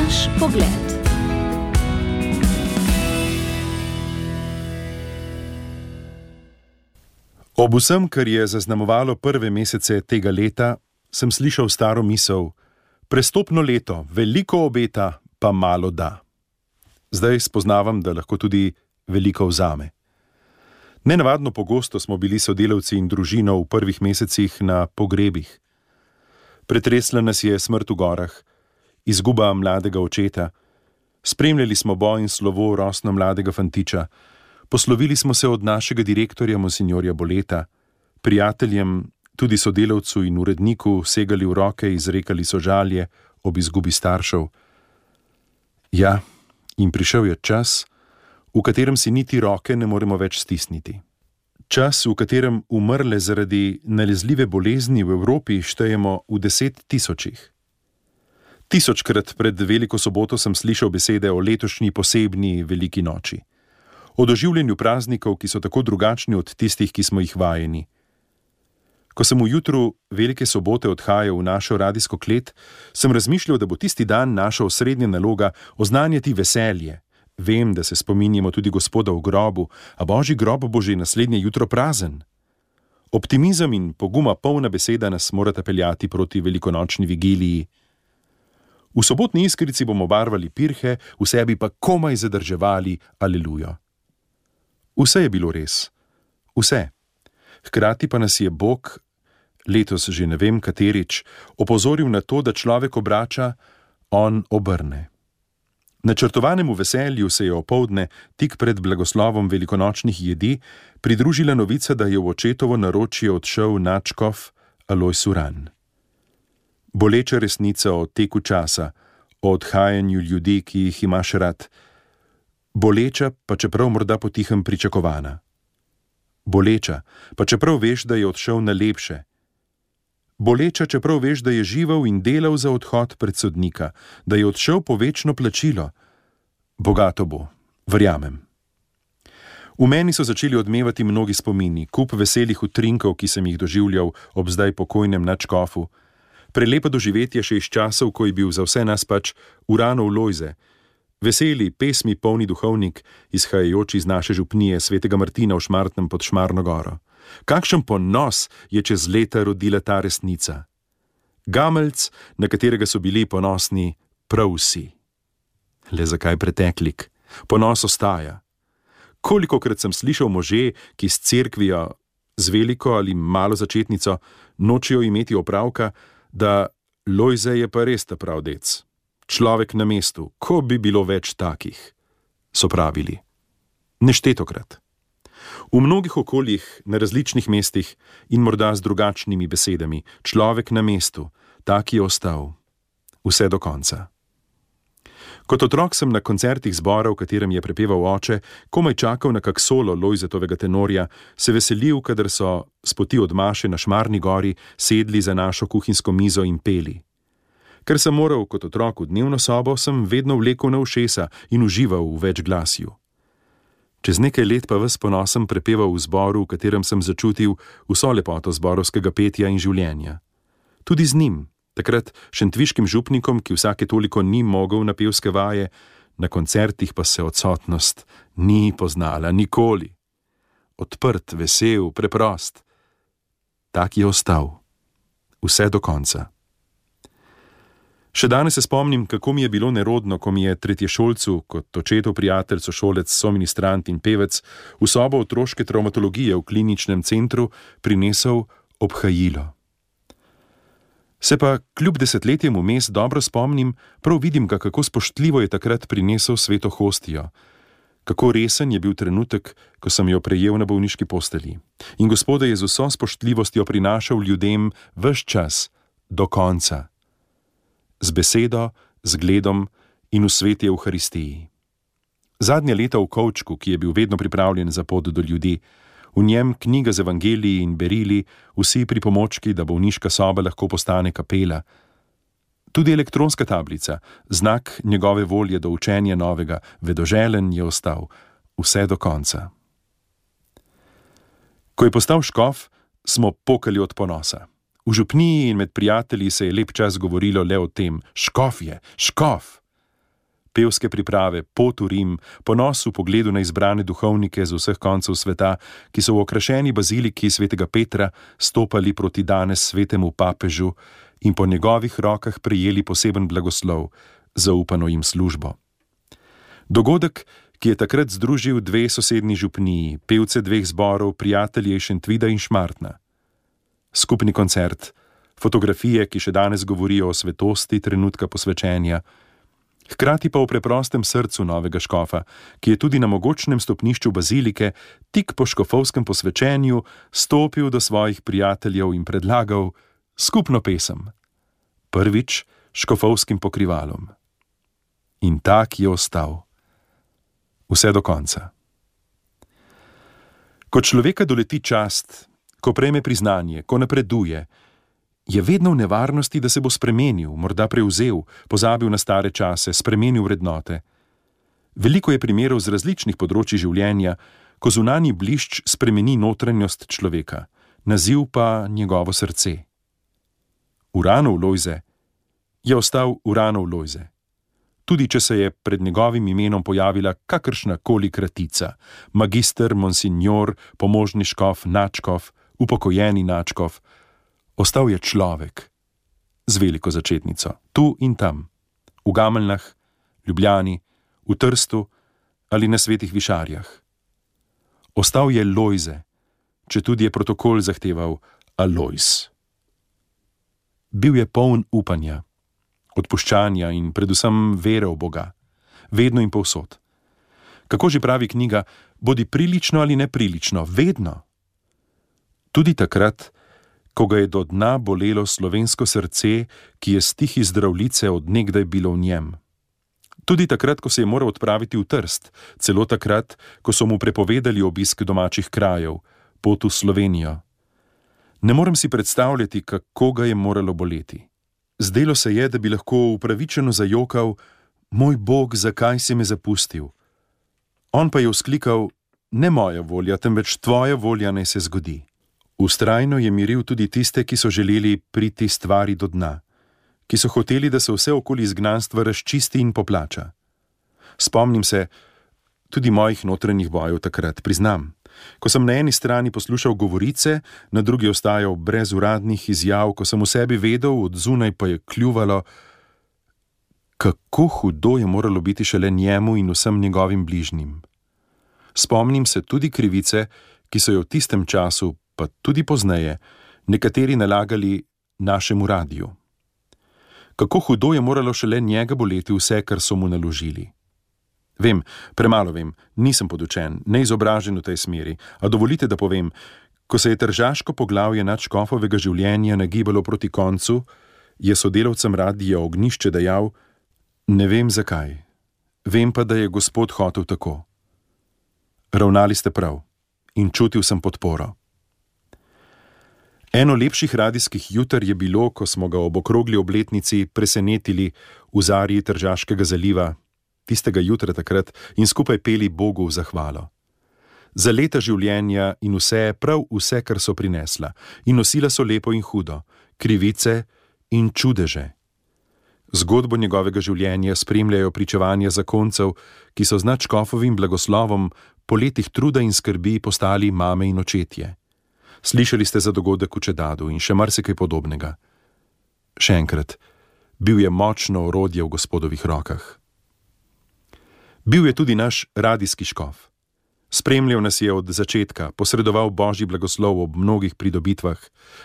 Naš pogled. Ob vsem, kar je zaznamovalo prve mesece tega leta, sem slišal staro misel: prestopno leto, veliko obeta, pa malo da. Zdaj spoznavam, da lahko tudi veliko vzame. Nenavadno pogosto smo bili sodelavci in družino v prvih mesecih na pogrebih. Pretresla nas je smrt v gorah, izguba mladega očeta, spremljali smo boj in slovo rosno mladega fantiča, poslovili smo se od našega direktorja monsinjorja Boleta, prijateljem, tudi sodelavcu in uredniku segali v roke, izrekali sožalje ob izgubi staršev. Ja, in prišel je čas, v katerem si niti roke ne moremo več stisniti. Čas, v katerem umrle zaradi nalezljive bolezni v Evropi štejemo v 10 000. Tisočkrat pred Veliko soboto sem slišal besede o letošnji posebni veliki noči. O doživljenju praznikov, ki so tako drugačni od tistih, ki smo jih vajeni. Ko sem v jutru Velike sobote odhajal v našo radijsko klet, sem razmišljal, da bo tisti dan naša osrednja naloga oznanjati veselje. Vem, da se spominjamo tudi Gospoda v grobu, a Božji grob bo že naslednje jutro prazen. Optimizem in poguma polna beseda nas morata peljati proti velikonočni vigiliji. V sobotni iskrici bomo barvali pirhe, v sebi pa komaj zadrževali alelujo. Vse je bilo res. Vse. Hkrati pa nas je Bog, letos že ne vem katerič, opozoril na to, da človek obrača, on obrne. Načrtovanemu veselju se je opoldne, tik pred blagoslovom velikonočnih jedi, pridružila novica, da je v očetovo naročje odšel nadškof Alojz Uran. Boleča resnica o teku časa, o odhajanju ljudi, ki jih imaš rad. Boleča, pa čeprav morda potihem pričakovana. Boleča, pa čeprav veš, da je odšel na lepše. Boleča, čeprav veš, da je živel in delal za odhod pred sodnika, da je odšel po večno plačilo. Bogato bo, verjamem. V meni so začeli odmevati mnogi spomini, kup veselih utrinkov, ki sem jih doživljal ob zdaj pokojnem nadškofu. Prelepa doživetje še iz časov, ko je bil za vse nas pač Uranov Lojze. Veseli, pesmi polni duhovnik, izhajajoči iz naše župnije svetega Martina v Šmartnem pod Šmarno goro. Kakšen ponos je čez leta rodila ta resnica. Gameljc, na katerega so bili ponosni prav vsi. Le zakaj preteklik? Ponos ostaja. Kolikokrat sem slišal može, ki s cerkvijo, z veliko ali malo začetnico, nočejo imeti opravka, da Lojze je pa res ta prav dec. Človek na mestu, ko bi bilo več takih, so pravili. Neštetokrat. V mnogih okoljih, na različnih mestih in morda z drugačnimi besedami, človek na mestu, tak je ostal. Vse do konca. Kot otrok sem na koncertih zbora, v katerem je prepeval oče, komaj čakal na kak solo Lojzetovega tenorja, se veselil, kadar so s poti od Maše na Šmarni gori sedli za našo kuhinjsko mizo in peli. Ker sem moral kot otrok v dnevno sobo, sem vedno vlekel na ušesa in užival v večglasju. Čez nekaj let pa ves ponosen prepeval v zboru, v katerem sem začutil vso lepoto zborovskega petja in življenja. Tudi z njim, takrat šentviškim župnikom, ki vsake toliko ni mogel na pevske vaje, na koncertih pa se odsotnost ni poznala nikoli. Odprt, vesel, preprost. Tak je ostal. Vse do konca. Še danes se spomnim, kako mi je bilo nerodno, ko mi je tretješolcu, kot očetov prijatelj, sošolec, soministrant in pevec, v sobo otroške travmatologije v kliničnem centru prinesel obhajilo. Se pa kljub desetletjem vmes dobro spomnim, prav vidim ga, kako spoštljivo je takrat prinesel sveto hostijo. Kako resen je bil trenutek, ko sem jo prejel na bolniški postelji. In Gospoda je z vso spoštljivostjo prinašal ljudem ves čas, do konca. Z besedo, z gledom in v sveti Evharistiji. Zadnja leta v kovčku, ki je bil vedno pripravljen za pot do ljudi, v njem knjiga z evangeliji in berili, vsi pripomočki, da bolniška soba lahko postane kapela. Tudi elektronska tablica, znak njegove volje do učenja novega, vedoželen je ostal, vse do konca. Ko je postal škof, smo pokali od ponosa. V župniji in med prijatelji se je lep čas govorilo le o tem, škof je, škof. pevske priprave, pot v Rim, ponos v pogledu na izbrane duhovnike z vseh koncev sveta, ki so v okrašeni baziliki svetega Petra stopali proti danes svetemu papežu in po njegovih rokah prejeli poseben blagoslov, zaupano jim službo. Dogodek, ki je takrat združil dve sosednji župniji, pevce dveh zborov, prijatelje iz Šentvida in Šmartna. Skupni koncert, fotografije, ki še danes govorijo o svetosti trenutka posvečenja, hkrati pa o preprostem srcu novega škofa, ki je tudi na mogočnem stopnišču bazilike tik po škofovskem posvečenju stopil do svojih prijateljev in predlagal skupno pesem, prvič škofovskim pokrivalom. In tak je ostal. Vse do konca. Ko človeka doleti čast, ko prejme priznanje, ko napreduje, je vedno v nevarnosti, da se bo spremenil, morda prevzel, pozabil na stare čase, spremenil vrednote. Veliko je primerov z različnih področij življenja, ko zunanji blišč spremeni notranjost človeka, naziv pa njegovo srce. Uranov Lojze je ostal Uranov Lojze. Tudi če se je pred njegovim imenom pojavila kakršna koli kratica, magister, monsignor, pomožni škof, nadškof, upokojeni nadškof, ostal je človek z veliko začetnico, tu in tam, v Gameljnah, Ljubljani, v Trstu ali na Svetih Višarjah. Ostal je Lojze, četudi je protokol zahteval Alojz. Bil je poln upanja, odpuščanja in predvsem vere v Boga, vedno in povsod. Kako že pravi knjiga, bodi prilično ali neprilično, vedno. Tudi takrat, ko ga je do dna bolelo slovensko srce, ki je stih iz Zdravljice od nekdaj bilo v njem. Tudi takrat, ko se je moral odpraviti v Trst, celo takrat, ko so mu prepovedali obisk domačih krajev, pot v Slovenijo. Ne morem si predstavljati, kako ga je moralo boleti. Zdelo se je, da bi lahko upravičeno zajokal: moj Bog, zakaj si me zapustil? On pa je vzklikal: ne moja volja, temveč tvoja volja naj se zgodi. Vztrajno je miril tudi tiste, ki so želeli priti stvari do dna, ki so hoteli, da se vse okoli izgnanstva razčisti in poplača. Spomnim se tudi mojih notranjih bojev takrat, priznam. Ko sem na eni strani poslušal govorice, na drugi ostajal brez uradnih izjav, ko sem v sebi vedel, od zunaj pa je kljuvalo, kako hudo je moralo biti šele njemu in vsem njegovim bližnjim. Spomnim se tudi krivice, ki so jo v tistem času, pa tudi pozneje, nekateri nalagali našemu radiju. Kako hudo je moralo šele njega boleti vse, kar so mu naložili. Vem, premalo vem, nisem podučen, neizobražen v tej smeri, a dovolite, da povem, ko se je tržaško poglavje nadškofovega življenja nagibalo proti koncu, je sodelavcem Radija Ognjišče dejal: ne vem zakaj, vem pa, da je Gospod hotel tako. Ravnali ste prav in čutil sem podporo. Eno lepših radijskih juter je bilo, ko smo ga ob okrogli obletnici presenetili v zarji Tržaškega zaliva, tistega jutra takrat, in skupaj peli Bogu v zahvalo. Za leta življenja in vse, prav vse, kar so prinesla, in nosila so lepo in hudo, krivice in čudeže. Zgodbo njegovega življenja spremljajo pričevanja zakoncev, ki so z nadškofovim blagoslovom po letih truda in skrbi postali mame in očetje. Slišali ste za dogodek v Čedadu in še marsikaj podobnega. Še enkrat, bil je močno orodje v Gospodovih rokah. Bil je tudi naš radijski škof. Spremljal nas je od začetka, posredoval božji blagoslov ob mnogih pridobitvah,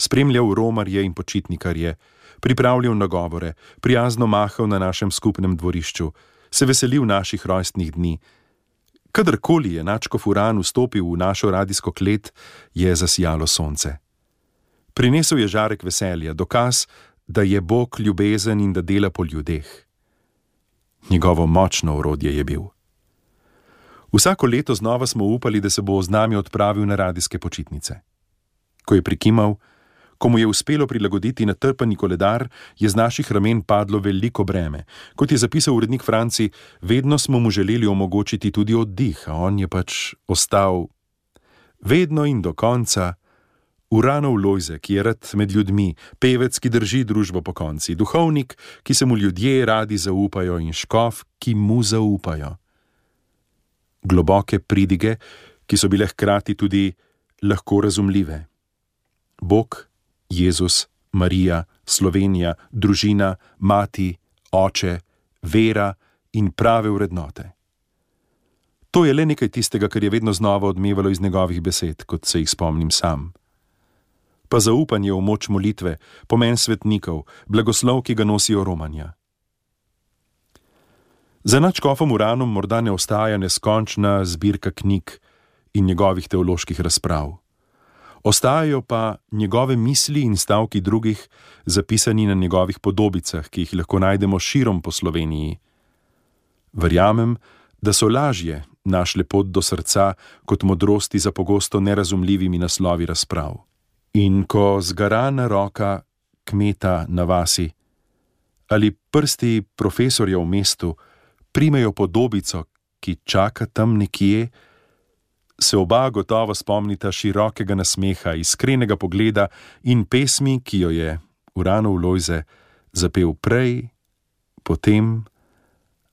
spremljal romarje in počitnikarje, pripravljal nagovore, prijazno mahal na našem skupnem dvorišču, se veselil naših rojstnih dni. Kadarkoli je nadškof Uran vstopil v našo radijsko klet, je zasijalo sonce. Prinesel je žarek veselja, dokaz, da je Bog ljubezen in da dela po ljudeh. Njegovo močno orodje je bil. Vsako leto znova smo upali, da se bo z nami odpravil na radijske počitnice. Ko je prikimal, ko mu je uspelo prilagoditi natrpani koledar, je z naših ramen padlo veliko breme. Kot je zapisal urednik Franci, vedno smo mu želeli omogočiti tudi oddih, a on je pač ostal vedno in do konca Uranov Lojze, ki je rad med ljudmi, pevec, ki drži družbo pokonci, duhovnik, ki se mu ljudje radi zaupajo in škof, ki mu zaupajo. Globoke pridige, ki so bile hkrati tudi lahko razumljive. Bog, Jezus, Marija, Slovenija, družina, mati, oče, vera in prave vrednote. To je le nekaj tistega, kar je vedno znova odmevalo iz njegovih besed, kot se jih spomnim sam. Pa zaupanje v moč molitve, pomen svetnikov, blagoslov, ki ga nosijo romanja. Za nadškofom Uranom morda ne ostaja neskončna zbirka knjig in njegovih teoloških razprav. Ostajajo pa njegove misli in stavki drugih, zapisani na njegovih podobicah, ki jih lahko najdemo širom po Sloveniji. Verjamem, da so lažje našle pot do srca kot modrosti za pogosto nerazumljivimi naslovi razprav. In ko zgarana roka kmeta na vasi ali prsti profesorja v mestu primejo podobico, ki čaka tam nekje, se oba gotovo spomnita širokega nasmeha, iskrenega pogleda in pesmi, ki jo je Uranov Lojze zapel prej, potem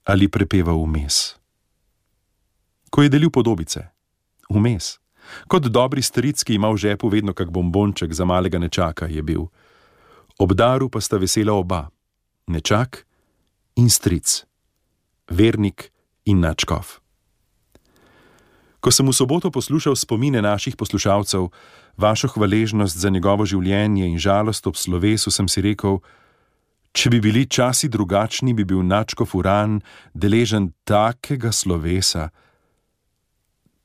ali prepeval vmes. Ko je delil podobice, vmes, kot dobri stric, ki ima v žepu vedno kak bombonček za malega nečaka, je bil. Ob daru pa sta vesela oba, nečak in stric, vernik in nadškof. Ko sem v soboto poslušal spomine naših poslušalcev, vašo hvaležnost za njegovo življenje in žalost ob slovesu, sem si rekel, če bi bili časi drugačni, bi bil nadškof Uran deležen takega slovesa.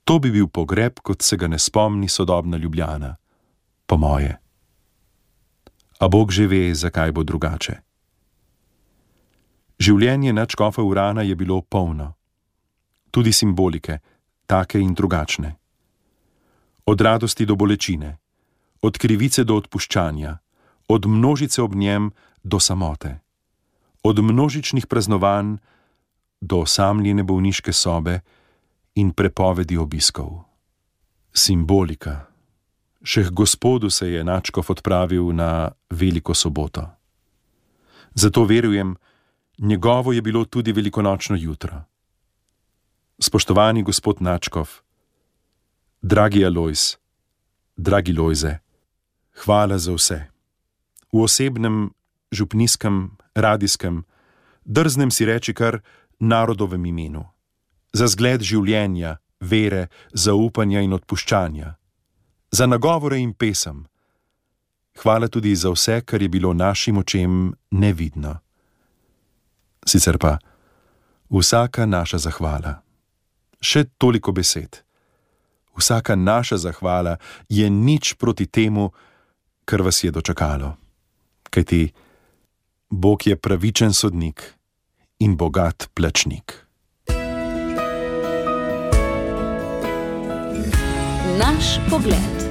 To bi bil pogreb, kot se ga ne spomni sodobna Ljubljana, po moje. A Bog že ve, zakaj bo drugače. Življenje nadškofa Urana je bilo polno, tudi simbolike, take in drugačne. Od radosti do bolečine, od krivice do odpuščanja, od množice ob njem do samote, od množičnih praznovanj do osamljene bolniške sobe in prepovedi obiskov. Simbolika. Še k Gospodu se je nadškof odpravil na Veliko soboto. Zato verujem, njegovo je bilo tudi velikonočno jutro. Spoštovani gospod nadškof, dragi Alojz, dragi Lojze, hvala za vse. V osebnem, župnijskem, radijskem, drznem si reči kar narodovem imenu. Za zgled življenja, vere, zaupanja in odpuščanja. Za nagovore in pesem. Hvala tudi za vse, kar je bilo našim očem nevidno. Sicer pa vsaka naša zahvala. Še toliko besed. Vsaka naša zahvala je nič proti temu, kar vas je dočakalo. Kajti Bog je pravičen sodnik in bogat plačnik. Naš pogled.